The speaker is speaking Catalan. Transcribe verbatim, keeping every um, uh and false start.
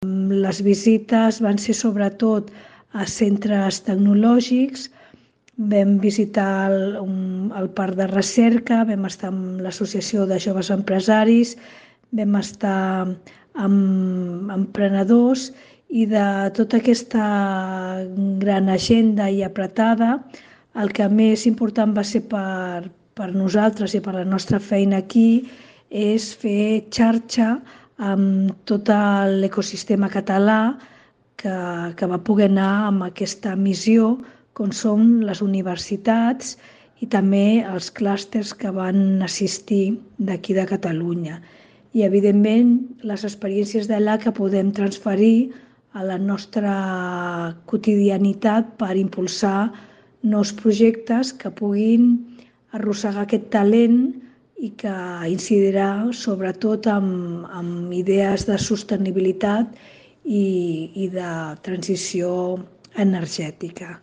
Les visites van ser sobretot a centres tecnològics, vam visitar el, un, el parc de recerca, vam estar amb l'Associació de Joves Empresaris, vam estar amb emprenedors i de tota aquesta gran agenda i apretada, el que més important va ser per, per nosaltres i per la nostra feina aquí és fer xarxa amb tot l'ecosistema català que, que va poder anar amb aquesta missió, com són les universitats i també els clústers que van assistir d'aquí de Catalunya. I, evidentment, les experiències d'allà que podem transferir a la nostra quotidianitat per impulsar nous projectes que puguin arrossegar aquest talent i que incidirà sobretot amb, amb idees de sostenibilitat i, i de transició energètica.